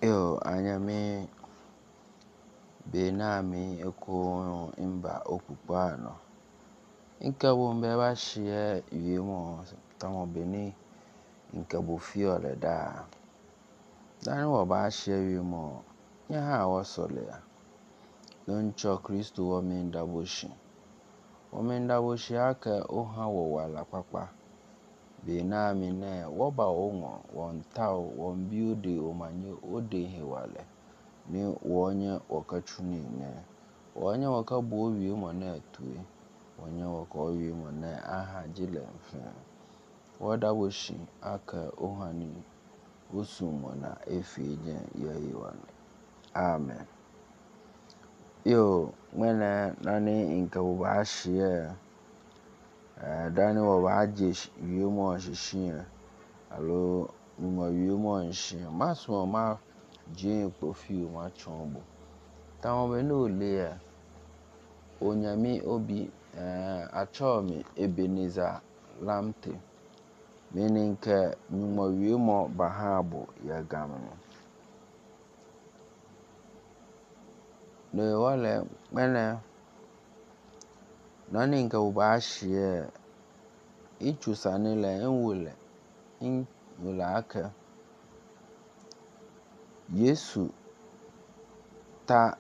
Yo, anyame benami eko mba okpukpo ano. Nke bụ mgbe ba shie yemo tamo beni nke bụ fio le da. Dani wo ba shie yemo nye ha wo sole ya. Doncho Kristo wo mi ndaboshi. Wo mi ndaboshi ake o ha wo wala kpakpa. Benami ne wo ba onwo wo ntao wo mbiode o manye o de hewale. Ni wo nye wo ka chuni ne. Wo nye wo ka bo wie mo na tue. Wo nye wo ka wie mo na aha jile mfe. Wo daboshi ake o ha ni osumo na efi je ye yiwale. Amen. Yo, mwene nani nke wo ba shie. Dani wo ba je wie mo shishie. Alo mo wie mo nshi. Ma so ma je kpofi ma chombo. Tawo be no le ya. Onyame obi achomi Ebenezer Lamte. Meaning ke nyumo wie mo bahabo ya gamne. Ne wale mene nani nke wo ba shie ichusa nile nwule nwule ake Yesu ta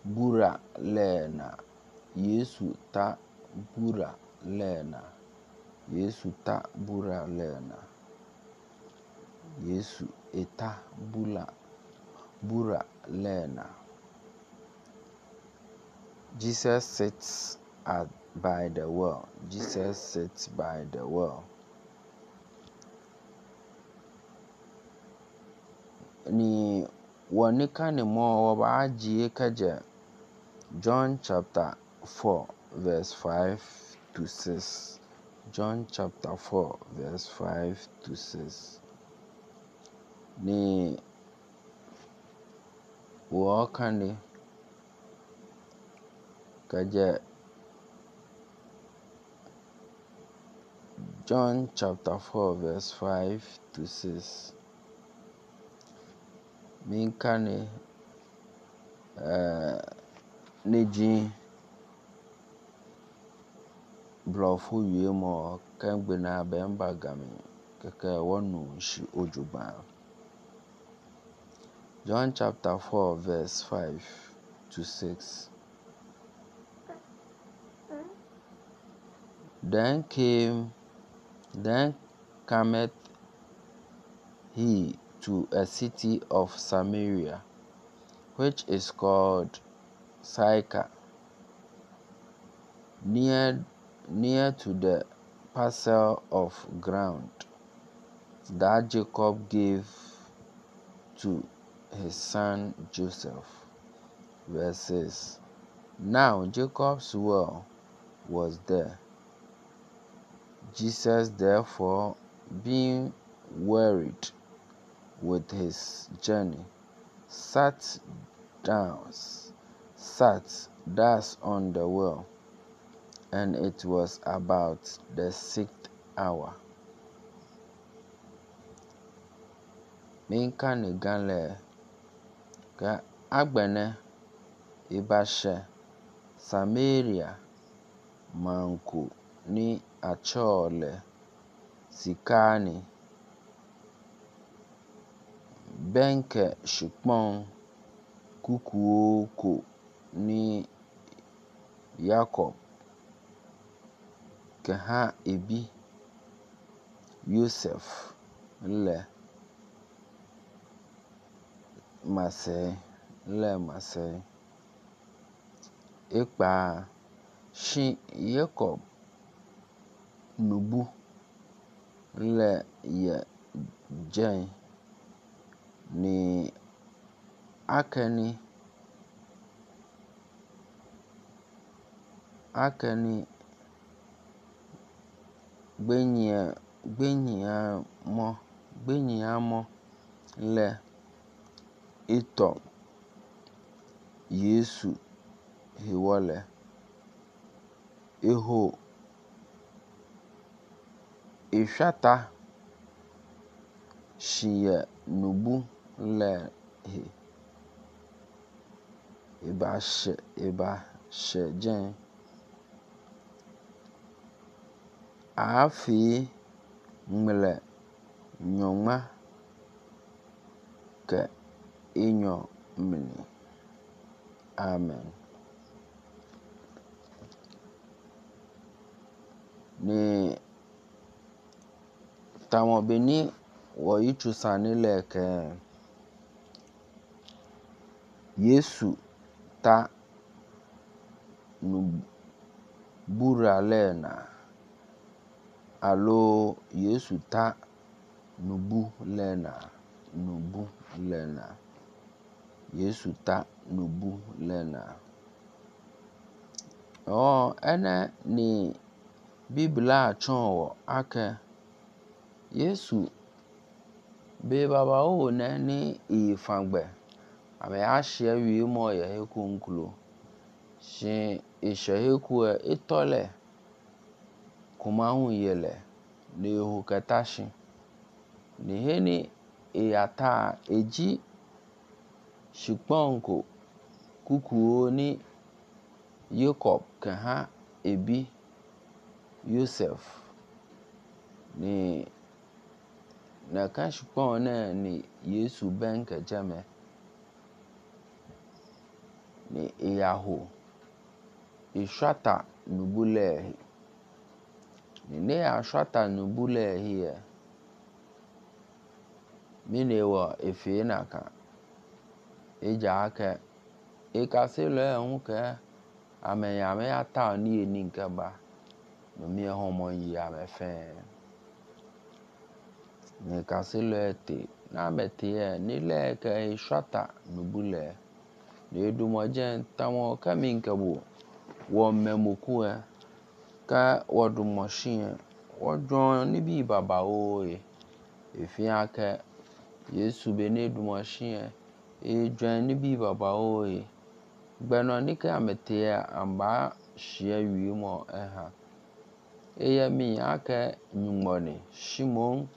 bura lena. Yesu ta bura lena. Yesu ta bura lena. Yesu eta bula bura lena. Jesus sits at by the well. Jesus sits by the well. Ni wɔne ka ne mo wɔ ba agye kagye John chapter 4 verse 5 to 6. John chapter 4 verse 5 to 6. Ni wɔka ne kagye John chapter 4 verse 5 to 6. Minka ne ne ji blɔfo wie mo kɛngbe na bɛmba gami kɛkɛ wɔnu nshi ojugba. John chapter 4 verse 5 to 6. Then came then cometh he to a city of Samaria, which is called Sychar, near to the parcel of ground that Jacob gave to his son Joseph. Verse 6. Now Jacob's well was there. Jesus therefore, being wearied with his journey, sat down, sat thus on the well, and it was about the sixth hour. Minka ne gan le ke agbene ibashe Samaria manko ni achole sikani benke shikpon kukuoko ni Yakob keha ebi Yosef le masɛ le masɛ ekpa shi Yakob nubu le ye dze ni akeni akeni gbenyia gbenyia mɔ gbenyia mɔ le itɔ Yesu hiwɔle iho ihwata shi ye nubu lɛ he. Eba hyɛ gyɛn. Afei ŋmlɛ nyɔŋma kɛ enyɔ mini. Amen. Ni tamɔ beni wɔ itsusani lɛ kɛ Yesu ta nubura lɛ na alo Yesu ta nubu lɛ na nubu lɛ na Yesu ta nubu lɛ na. Ɔ ɛnɛ ni Biblia tsɔn wɔ akɛ Yesu be baba wo nɛ ni ifangbɛ ame ahyɛ wie mɔ yɛ ekunklo si ihyɛ eku etɔlɛ kumahu yɛlɛ ne ehu kɛtashi ne heni eyata edzi shikpɔnko kukuo ni Jacob kɛha ebi Yosef ni nɛka shikpɔn nɛ ni Yesu bɛn kɛdzɛmɛ ni eyaho eshwata nubu lɛ ni ne ya shwata nubu lɛ hiɛ mine wɔ efe naka edza akɛ ekase lɔ ɛhu kɛ ame ya me ya ta ni eni nke ba nomi ɛhɔn yi ame fɛn ne kase lɔ te na ame te yɛ ne lɛ kɛ eshwata nubu lɛ ne edumɔdze tamɔ kɛmi nke bo wɔ mɛmoku ɛ kɛ wɔdumɔshi ɛ wɔdzɔ nibi baba wo ye efia kɛ Yesu be ne dumɔshi ɛ edzɔ nibi baba wo ye gbɛnɔ ni kɛ ame te yɛ amba shie wie mɔ ɛha eyɛ mi akɛ nyugbɔni shimon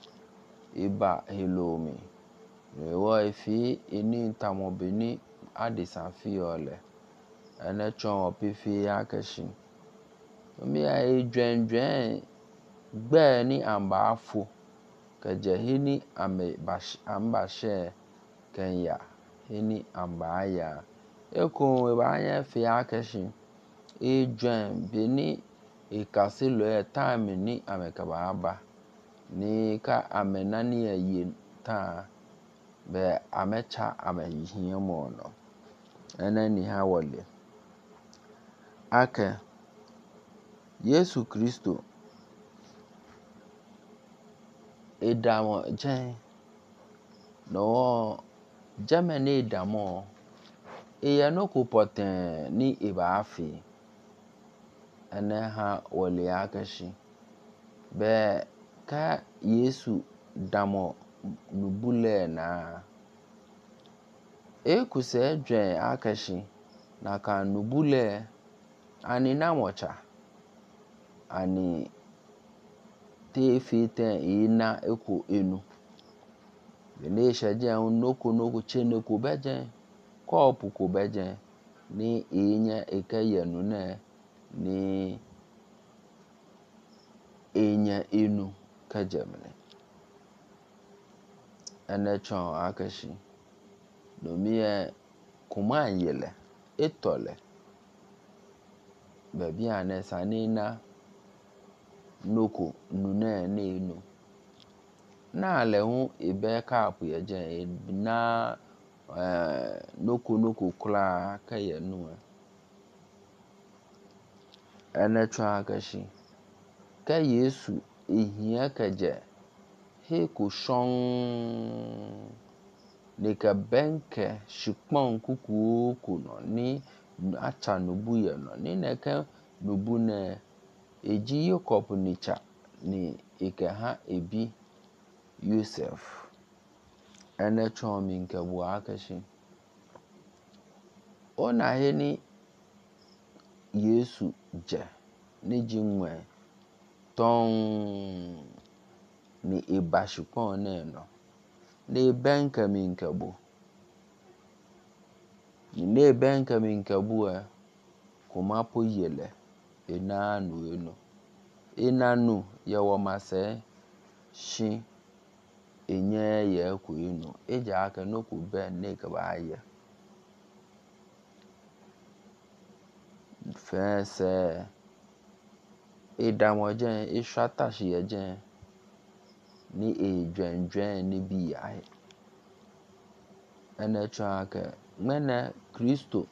eba helomi ewɔ efi eni tamɔ beni adisan fiyɔ lɛ ɛnɛ tsɔn wɔ pefe akɛ shi mi ya edzɔdzɔe gbɛ ni amba afo kɛdzɛ heni ame amba shɛ kɛnya heni amba aya eko eba nye fi akɛ shi edzɔe beni ekase lɔ time ni ame kaba aba ni ka ame nani ye taa bɛ ame tsa ame hiɛ mɔ nɔ ɛnɛ ni ha wɔle akɛ Yesu Kristo edamɔ dze nɔwɔ dzɛmɛ ne edamɔ eyɛ noko pɔtɛɛ ni eba afi ɛnɛ ha wɔle akɛ shi bɛ kɛ Yesu damɔ nubu lɛ na ekusɛ dzɛ akɛ shi naka nubu lɛ ani namɔtsa ani te fi tɛ ina eko enu bene shɛdze noko noko tsene ko bɛdze kɔpu ko bɛdze ni enye eke yɛnu nɛ ni enye enu kɛdzɛmɛ ɛnɛ tsɔn akɛshi nomi yɛ kuma yɛlɛ etɔlɛ bɛbi anɛ sani na noko nu nɛ n'enu na lɛ ŋu ebe kapu yɛ dze na noko noko koraa kɛyɛ nu ɛnɛ tsɔn akɛshi kɛ Yesu ehia kɛdzɛ he ko sɔŋ ne ke bɛnkɛ shikpɔn kukuo ko nɔ ni atsa nubu yɛ nɔ ni nɛkɛ nubu nɛ edzi Yakob nitsa ni eke ha ebi Yosef ɛnɛ tsɔn mi nke bu akɛshi ona he ni Yesu dze ne dzi ŋmɛ tɔŋ ni eba shikpɔn nɛ nɔ. Ne bɛn kɛ mi nkɛbo. Ne bɛn kɛ mi nkɛbo ɛ kò ma po yelɛ ena nu enu. Ena nu yɛ wɔ masɛ shi enye yɛ ko enu. Eja akɛ no ko bɛn ne kɛ ba yɛ. Fɛn sɛ edamɔ jɛn eswata shi yɛ jɛn ni ejwɛnjwɛn ni bi ya he. Ɛnɛ tsɔn akɛ ŋmɛnɛ Kristo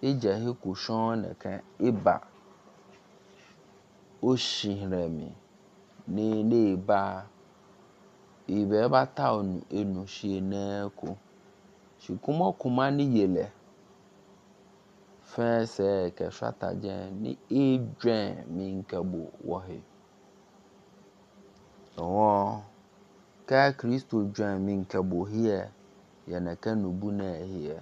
ejɛ he ko shɔn nɛkɛ eba oshihrɛmi ni ne ba ibɛ ba ta onu enu shi enɛ ko. Shi kumɔ kuma ni yelɛ fɛn sɛ kɛ swata jɛn ni ejwɛn mi nkɛbo wɔ he. Ɔwɔn kɛ Kristo jwɛn mi nkɛbo hiɛ yɛnɛkɛ nubu nɛ hiɛ.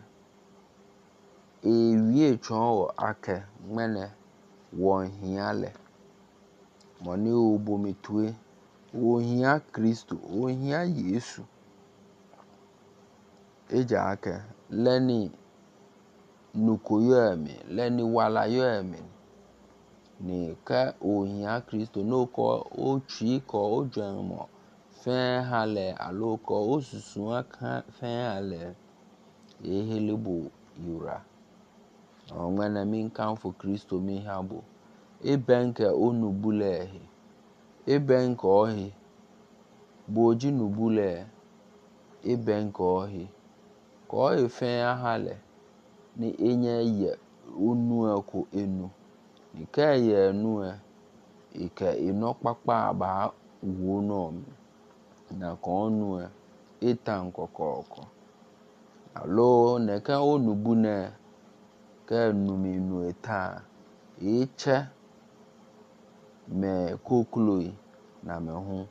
Ewie tsɔn wɔ akɛ ŋmɛnɛ wɔ hia lɛ. Mɔni obomi tue ohia Kristo ohia Yesu. Eja akɛ lɛni nukoyɔ ɛmi lɛni walayɔ ɛmi ni kɛ ohia Kristo n'okɔ otsi kɔ odzɔn mɔ fɛn ha lɛ alo kɔ osusu fɛn ha lɛ ehele bo yura. Ɔŋmɛnɛ mi nkanfo Kristo mi ha bo. Ebɛn kɛ onubu lɛ he. Ebɛn kɛ ɔhe. Boji nubu lɛ ebɛn kɛ ɔhe. Kɔ efɛn ha lɛ ni enye yɛ onu ɛko enu. Ni kɛ yɛ enu ɛ ike enɔ kpakpa ba wo nɔ mi. Na kɔ onu ɛ etan kɔkɔɔkɔ. Alo nɛkɛ onubu nɛ kɛ numi nu eta etsɛ mɛ kokloi na mɛ hu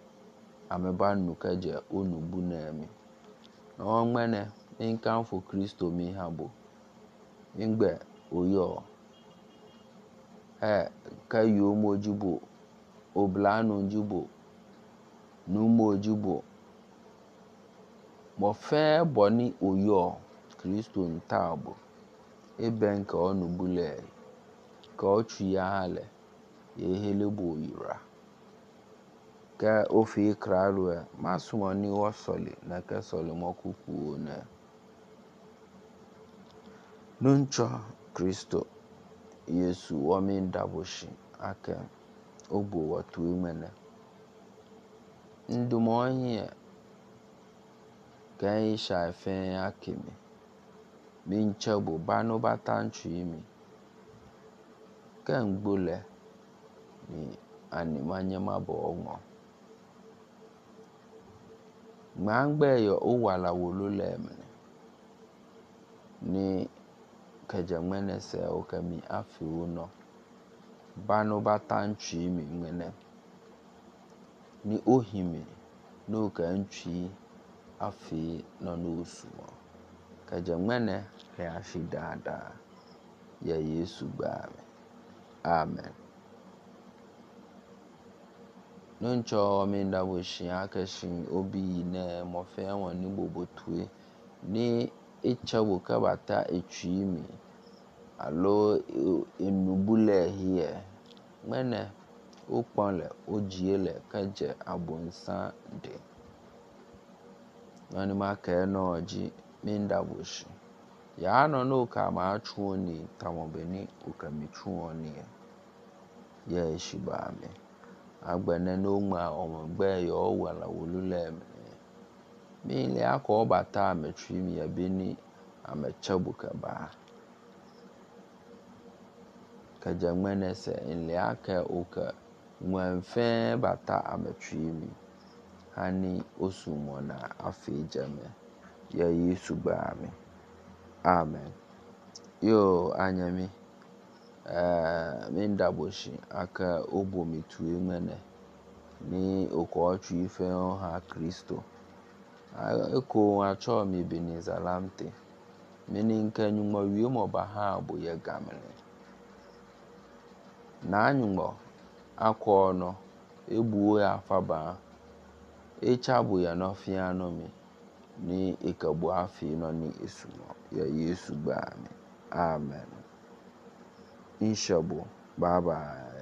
ame ba nu kɛ jɛ onubu nɛ mi. Ɔŋmɛnɛ mi nkanfo Kristo mi ha bo. Ngbɛ oyɔ ɛ kɛ yomoji bo oblanu ji bo numoji bo mɔ fɛn bɔ ni oyɔ Kristo nta bo. Ebɛn kɛ ɔnubu lɛ kɛ ɔtsi ya ha lɛ ehele bo yura. Kɛ ofi kralu ɛ masumɔ ni wɔ sɔli nɛkɛ sɔli mɔ kuku nɛ. Nuntsɔ Kristo Yesu wɔ mi ndaboshi akɛ obo wɔ tue ŋmɛnɛ. Ndumɔ hiɛ kɛ isha fɛn akemi. Mi ntsɛ bo banu bata ntsi mi. Kɛ ŋgbolɛ ni ani ma nye ma bɔ ŋɔ. Ŋmangbɛ yɔ owala wolo lɛ mene. Ni kɛdze ŋmɛnɛ sɛ okɛ mi afi wonɔ. Banu bata ntsi mi ŋmɛnɛ. Ni ohimi n'okɛ ntsi afi nɔ n'osumɔ. Kɛdze ŋmɛnɛ kɛ asi daadaa yɛ Yesu gbaa mi. Amen. Nuntsɔ mi ndaboshi akɛ shi obi yi nɛ mɔfɛn wɔ ni bobo tue ni etsɛ bo kɛ bata etsi mi alo enubu lɛ hiɛ ŋmɛnɛ okpɔn lɛ odzie lɛ kɛ dze abonsan de. Nɔni ma kɛ nɔ dzi mi ndaboshi. Ya nɔ n'oka ma tsu ni tamɔ be ni okɛ mi tsu ni yɛ esi ba mi. Agbɛnɛ n'oŋma ɔmɔ gbɛ yɔ wala wolu lɛ mi. Mi le akɔ bata ame tsi mi yɛ be ni ame tsɛ bo kɛ ba. Kɛdze ŋmɛnɛ sɛ nle akɛ okɛ ŋmɛnfɛn bata ame tsi mi. Hani osumɔ na afi dzeme yɛ Yesu gbaa mi. Amen. Yo anye mi. Mi ndaboshi akɛ obomi tue ŋmɛnɛ ni okɔ tsi fɛn ha Kristo. Eko atsɔ mi Ebenezer Lamte. Mini nke nyugbɔ wie mɔ ba ha bo yɛ gamene. Na nyugbɔ akɔ nɔ ebuo ya fa ba. Etsa bo yɛ nɔ fia nɔ mi. Ni ikabu afi nɔ ni esumɔ yɛ Yesu gbaa mɛ. Amen. Nhyɛ bo. Bye bye.